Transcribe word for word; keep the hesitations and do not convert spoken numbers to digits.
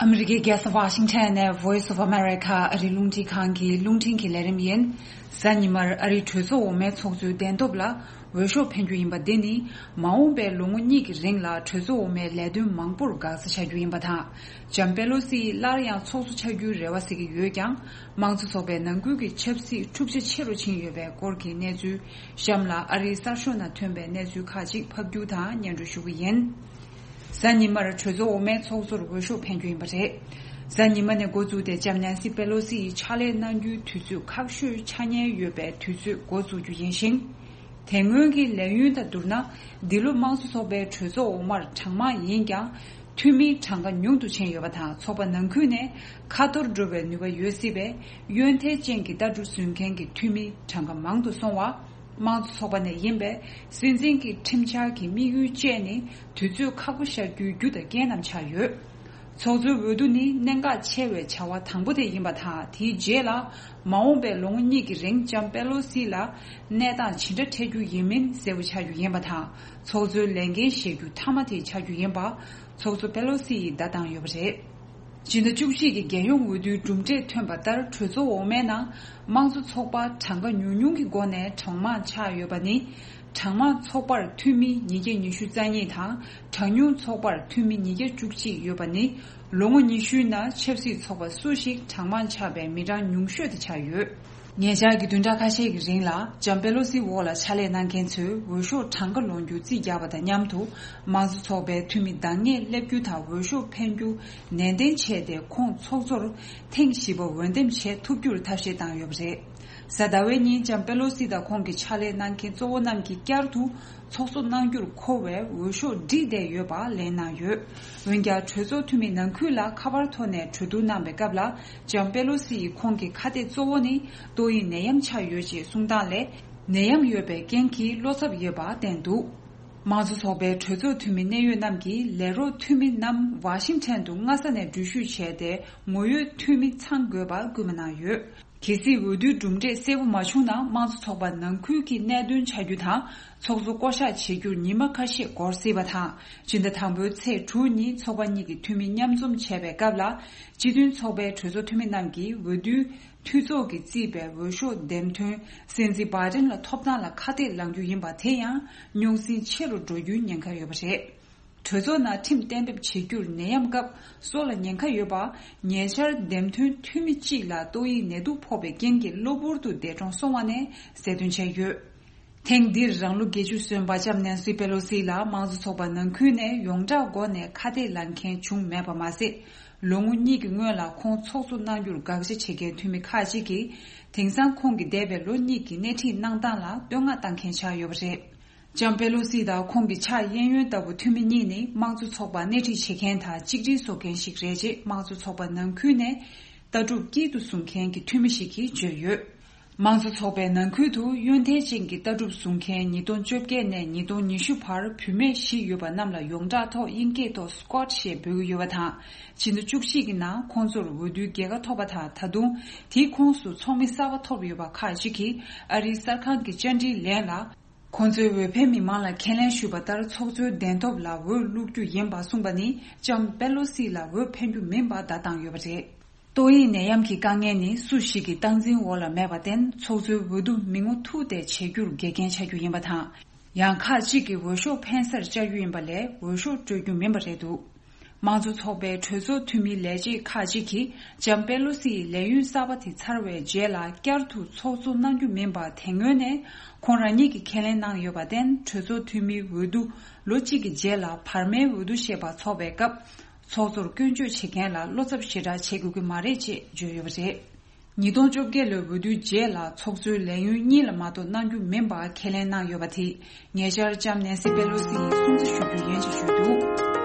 ཨ་མི་རི་ཀའི་རྒྱལ་ས་ཝ་ཤིང་ཊོན་ནས་Voice of America ཨ་རིའི་རླུང་འཕྲིན་ཁང་གི་རླུང་འཕྲིན་གྱི་ལས་རིམ་ཡིན། གཟའ་ཉི་མར་ཨ་རིའི་གྲོས་ཚོགས་འོག་མའི་ཚོགས་གཙོའི་གདན་ཐོབ་ལ་འོས་ཤོག་འཕེན་རྒྱུ་ཡིན་པ་འདི་ནི་མ་འོངས་པའི་ལོ་ངོ་གཉིས་ཀྱི་རིང་ལ་གྲོས་ཚོགས་འོག་མའི་ལས་དོན་མང་པོར་འགག་རྩ་ཆགས་རྒྱུ་ཡིན་པ་དང་། ལྕམ་པེ་ལོ་སི་ཡིས་སླར་ཡང་ཚོགས་གཙོ་ཆགས་རྒྱུའི་རེ་བ་གཟིགས་ཀྱི་ཡོད་ཀྱང་། དམངས་གཙོ་ཚོགས་པའི་ནང་ཁུལ་གྱི་ཆབ་སྲིད་འཁྲུག་ཆ་ཆེ་རུ་ཕྱིན་ཡོད་པའི་སྐོར་གྱི་གནས་ཚུལ། གཤམ་ལ་ཨ་རིའི་གསར་ཤོག་ནང་ཐོན་པའི་གནས་ཚུལ་ཁག་ཅིག་ཕབ་སྒྱུར་དང་སྙན་སྒྲོན་ཞུ་གི་ཡིན། གཟའ་ཉི་མར་གྲོས་ཚོགས་འོག་མའི་ཚོགས་གཙོར་འོས་ཤོག་འཕེན་རྒྱུ་ཡིན་པ་རེད། གཟའ་ཉི་མ་ནས་འགོ་བཙུགས་ཏེ་ལྕམ་ནན་སི་པེ་ལོ་སི་ཡིས་ཕྱག་ལས་གནང་རྒྱུའི་དུས་ཚོད་ཁག་ཤོས་ཆགས་ཉེན་ཡོད་པའི་དུས་ཚོད་འགོ་བཙུགས་རྒྱུ་ཡིན་ཞིང་། དེ་སྔོན་གྱི་ལས་ཡུན་དང་བསྡུར་ན། འདི་ལོ་དམངས་གཙོ་ཚོགས་པའི་གྲོས་ཚོགས་འོག་མར་གྲངས་མང་ཡིན་ཀྱང་། འཐུས་མིའི་གྲངས་ཀ་ཉུང་དུ་ཕྱིན་ཡོད་པ་དང་། ཚོགས་པ་ནང་ཁུལ་ནས་ཁ་ཐོར་འགྲོ་བའི་ནུས་པ་ཡོད་སྲིད་པས། ཡོན་ཐལ་ཅན་གྱི་ལྟ་གྲུབ་བཟུང་མཁན་གྱི་འཐུས་མིའི་གྲངས་ཀ་མང་དུ་སོང་བ། དམངས་གཙོ་ཚོགས་པ་ནས་ཡིན་པས། སྲིད་འཛིན་གྱི་ཁྲིམས་འཆར་གྱི་དམིགས་ཡུལ་བཅས་ནི་དུས་ཚོད་ཁག་པོ་བཞག་རྒྱུའི་རྒྱུ་དང་རྐྱེན་རྣམས་ཆགས་ཡོད། ཚོགས་གཙོའི་འོས་བསྡུ་ནི་གནད་འགག་ཆེ་བའི་བྱ་བ་དང་པོ་དེ་ཡིན་པ་དང་། དེའི་རྗེས་ལ་མ་འོངས་པའི་ལོ་ངོ་གཉིས་ཀྱི་རིང་ལྕམ་པེ་ལོ་སི་ལ་གནས་སྟངས་ཇི་འདྲ་འཕྲད་རྒྱུ་ཡིན་མིན་གསལ་པོ་ཆགས་རྒྱུ་ཡིན་པ་དང་། ཚོགས་གཙོའི་ལས་འགན་བཞེས་རྒྱུ་མཐའ་མ་དེ་ཆགས་རྒྱུ་ཡིན་པ། ཚོགས་གཙོ་པེ་ལོ་སི་ཡིས་བརྡ་བཏང་ཡོད་པ་རེད། སྤྱི་ཟླ་བཅུ་གཅིག་གི་རྒྱལ་ཡོངས་འོས་བསྡུའི་གྲུབ་འབྲས་ཐོན་པ་ལྟར། གྲོས་ཚོགས་འོག་མའི་ནང་དམངས་གཙོ་ཚོགས་པ་གྲངས་ཀ་ཉུང་ཉུང་གི་སྒོ་ནས་གྲངས་མང་ཆགས་ཡོད་པ་ནི། གྲངས་མང་ཚོགས་པར་འཐུས་མི་ཉིས་བརྒྱ་ཉི་ཤུ་རྩ་གཉིས་དང་། གྲངས་ཉུང་ཚོགས་པར་འཐུས་མི་ཉིས་བརྒྱ་བཅུ་གཅིག་ཡོད་པ་ནི། ལོ་ངོ་ཉི་ཤུའི་ནང་ཆབ་སྲིད་ཚོགས་པ་སུ་ཞིག་གྲངས་མང་ཆགས་པའི་མི་གྲངས་ཉུང་ཤོས་དེ་ཆགས་ཡོད། ཉེ་ཆར་གྱི་བདུན་ཕྲག་ཁ་ཤས་ཀྱི་རིང་ལ་ལྕམ་པེ་ལོ་སིའི་འོག་ལ་ཕྱག་ལས་གནང་མཁན་ཚོས་འོས་ཤོག་གྲངས་ཀ་ལོན་རྒྱུ་རྩིས་རྒྱག་པ་དང་མཉམ་དུ། དམངས་གཙོ་ཚོགས་པའི་འཐུས་མི་འདང་ངེས་སླེབས་རྒྱུ་དང་འོས་ཤོག་འཕེན་རྒྱུ་ནན་ཏན་བྱས་ཏེ། ཁོང་ཚོགས་གཙོར་ཐེངས་བཞི་པ་འོས་འདེམས་བྱེད་ཐུབ་རྒྱུར་ཐབས་ཤེས་བཏང་ཡོད་པ་རེད། གཟའ་ཟླ་བའི་ཉིན་ལྕམ་པེ་ལོ་སི་དང་ཁོང་གི་ཕྱག་ལས་གནང་མཁན་གཙོ་བོ་རྣམས་ཀྱིས་བསྐྱར་དུ་ཚོགས་གཙོ་གནང་རྒྱུར་མཁོ་བའི་འོས་ཤོག་བསྒྲིགས་བསྡད་ཡོད་པ་ལན་གནང་ཡོད། འོན་ཀྱང་། གྲོས་ཚོགས་འཐུས་མི་ནང་ཁུལ་ལ་ཁ་པར་ཐོག་ནས་གྲོས་བསྡུར་གནང་བའི་སྐབས་ལ། ལྕམ་པེ་ལོ་སི་ཡིས་ཁོང་གི་ཁ་གཏད་གཙོ་བོ་ནི་ཏོག་དབྱིབས་ནད་ཡམས་ཆགས་ཡོད་ཅེས་གསུངས་སྟངས་ལས། ནད་ཡམས་ཡོད་པའི་རྐྱེན་གྱིས་བློ་འཚབ་ཡོད་པ་བསྟན་འདུག་དམངས་གཙོ་ཚོགས་པའི་གྲོས་ཚོགས་འཐུས་མི་གནད་ཡོད་རྣམས་ཀྱིས་ལས་རོགས་འཐུས་མི་རྣམས་ཝ་ཤིང་ཊོན་དུ་སྔ་ས་ནས་འགྲུལ་བཞུད་བྱས་ཏེ། ངོ་ཡོད་འཐུས་མི་ཚང་དགོས་པར་སྐུལ་མ་གནང་ཡོད། གལ་སྲིད་འོས་བསྡུའི་གྲུབ་འབྲས་གསལ་པོ་མ་བྱུང་ན། དམངས་གཙོ་ཚོགས་པ་ནང་ཁུལ་གྱི་གནད་དོན་ཆགས་རྒྱུ་དང་། ཚོགས་གཙོ་བསྐོ་གཞག་བྱེད་རྒྱུར་ཉི་མ་ཁ་ཤས་འགོར་སྲིད་པ་དང་། སྤྱི་ཟླ་དང་པོའི་ཚེས་དྲུག་ཉིན་ཚོགས་པ་གཉིས་ཀྱི་འཐུས་མི་མཉམ་འཛོམས་བྱས་པའི་སྐབས་ལ། སྤྱི་མཐུན་ཚོགས་པའི་གྲོས་ཚོགས་འཐུས་མི་རྣམས་ཀྱིས་འོས་བསྡུའི་འཐུས་ཚོགས་ཀྱིས་བརྩིས་པའི་འོས་ཤོག་འདེམས་ཐོན་སྲིད་འཛིན་བྷའི་ཌེན་ལ་ཐོབ་ཐང་ལ་ཁ་གཏད་ལངས་རྒྱུ་ཡིན་པ། དེ་ཡང་རྙོག་ཟིང་ཆེ་རུ་འགྲོ་རྒྱུའི་ཉེན་ཁ་ཡོད་པ་རེད། གྲོས་ཚོགས་ནང་ཁྲིམས་གཏན་འབེབས་བྱེད་རྒྱུར་ནད་ཡམས་སྐབས་སྲོག་ལ་ཉེན་ཁ་ཡོད་པ། ཉེ་ཆར་འདེམས་ཐོན་འཐུས་མི་གཅིག་ལ་ཏོག་དབྱིབས་ནད་དུག་ཕོག་པའི་རྐྱེན་གྱིས་གློ་བུར་དུ་འདས་གྲོངས་སོང་བ་ནས་གསལ་སྟོན་བྱས་ཡོད། ཐེངས་འདིར་རང་ལོ་བརྒྱད་ཅུ་སོན་པ་ལྕམ་ནན་སི་པེ་ལོ་སི་ལ་དམངས་གཙོ་ཚོགས་པ་ནང་ཁུལ་ནས་ཡོངས་གྲགས་སྒོ་ནས་ཁ་གཏད་ལངས་མཁན་བྱུང་མེད་པ་མ་ཟད། ལོ་ངོ་གཉིས་ཀྱི་སྔོན་ལ་ཁོང་ཚོགས་གཙོ་གནང་རྒྱུར་དགག་བྱ་བྱེད་མཁན་འཐུས་མི་ཁག་ཅིག་གིས། དེང་སང་ཁོང་གི་འདས་པའི་ལོ་གཉིས་ཀྱི་སྣེ་ཁྲིད་གནང་སྟངས་ལ་བསྟོད་བསྔགས་བཏང་མཁན་ཆགས་ཡོད་པ་རེད། ལྕམ་པེ་ལོ་སི་དང་ཁོང་གི་ཕྱག་གཡས་གཡོན་ལྟ་བུ་འཐུས་མི་གཉིས་ནི་དམངས་གཙོ་ཚོགས་པ་སྣེ་ཁྲིད་བྱེད་མཁན་དང་གཅིག་སྒྲིལ་བཟོ་མཁན་ཞིག་རེད་ཅེས་དམངས་གཙོ་ཚོགས་པ་ནང་ཁུལ་ནས་ལྟ་གྲུབ་དཀྱིལ་དུ་བཟུང་མཁན་གྱི་འཐུས་མི་ཞིག་གིས་བརྗོད་ཡོད། དམངས་གཙོ་ཚོགས་པའི་ནང་ཁུལ་དུ་ཡོན་ཐལ་ཅན་གྱི་ལྟ་གྲུབ་བཟུང་མཁན་ཉིས་སྟོང་བཅོ་བརྒྱད་ནས་ཉིས་སྟོང་ཉི་ཤུ་བར་བུད་མེད་བཞི་ཡོད་པ་རྣམས་ལ་ཡོངས་གྲགས་ཐོག་དབྱིན་སྐད་ཐོག་སི་ཀོ་ཊི་ཞེས་འབོད་ཀྱི་ཡོད་པ་དང་། ཕྱི་ཟླ་བཅུ་གཅིག་གི་ནང་ཁོང་ཚོར་འོས་བསྡུའི་རྒྱལ་ཁ་ཐོབ་པ་དང་། ད་དུང་དེའི་ཁོངས་སུ་ཚོགས་མི་གསར་པ་ཐོབ་ཡོད་པ་ཁག་ཅིག་གིས་ཨ་རིའི་གསར་ཁང་གི་བཅར་འདྲིའི་ལན་ལ། ཁོང་ཚོས་འོས་འཕེན་མི་མང་ལ་ཁས་ལེན་ཞུས་པ་ལྟར་ཚོགས་གཙོའི་གདན་ཐོབ་ལ་འོས་བླུག་རྒྱུ་ཡིན་པ་གསུངས་པ་ནི་ལྕམ་པེ་ལོ་སི་ལ་འོས་འཕེན་རྒྱུ་མིན་པ་བརྡ་བཏང་ཡོད་པ་རེད། ཏོག་དབྱིབས་ནད་ཡམས་ཀྱི་དཀའ་ངལ་ནི་སུ་ཞིག་གི་སྟངས་འཛིན་འོག་ལ་མེད་པར་བརྟེན། ཚོགས་གཙོའི་འོས་བསྡུ་མི་ངོ་ཐུག་སྟེ་བྱེད་རྒྱུར་འགལ་རྐྱེན་ཆགས་རྒྱུ་ཡིན་པ་དང་། ཡང་ཁག་ཅིག་གིས་འོས་ཤོག་འཕེན་སར་བཅར་རྒྱུ་ཡིན་པ་ལས་འོས་ཤོག་སྤྲོད་རྒྱུ་མིན་པ་རེད་འདུག་དམངས་གཙོ་ཚོགས་པའི་གྲོས་ཚོགས་འཐུས་མིའི་ལས་བྱེད་ཁག་ཅིག་གིས་ལྕམ་པེ་ལོ་སི་ཡི་ལས་ཡུན་གསར་པ་དེ་ཚར་བའི་རྗེས་ལ་བསྐྱར་དུ་ཚོགས་གཙོ་གནང་རྒྱུ་མིན་པ་དེ་སྔོན་ནས་ཁོང་རང་ཉིད་ཀྱིས་ཁས་ལེན་གནང་ཡོད་པར་བརྟེན། གྲོས་ཚོགས་འཐུས་མིའི་འོས་བསྡུ་ལོ་གཅིག་གི་རྗེས་ལ་བར་མའི་འོས་བསྡུ་ཞེས་པ་འཚོགས་པའི་སྐབས། ཚོགས་གཙོར་སྐྱོན་བརྗོད་བྱེད་མཁན་ལ་བློ་འཚབ་ཞེ་དྲག་བྱེད་དགོས་ཀྱི་མ་རེད་ཅེས་བརྗོད་ཡོད་པ་རེད། ཉིས་སྟོང་བཅོ་བརྒྱད་ལོའི་འོས་བསྡུའི་རྗེས་ལ་ཚོགས་གཙོའི་ལས་ཡུན་གཉིས་ལ་མ་གཏོགས་གནང་རྒྱུ་མིན་པ་ཁས་ལེན་གནང་ཡོད་པ་དེས། ཉེ་ཆར་ལྕམ་ནན་སི་པེ་ལོ་སི་ཡིས་སྲུང་བརྩི་ཞུ་རྒྱུ་ཡིན་ཞེས་བརྗོད་འདུག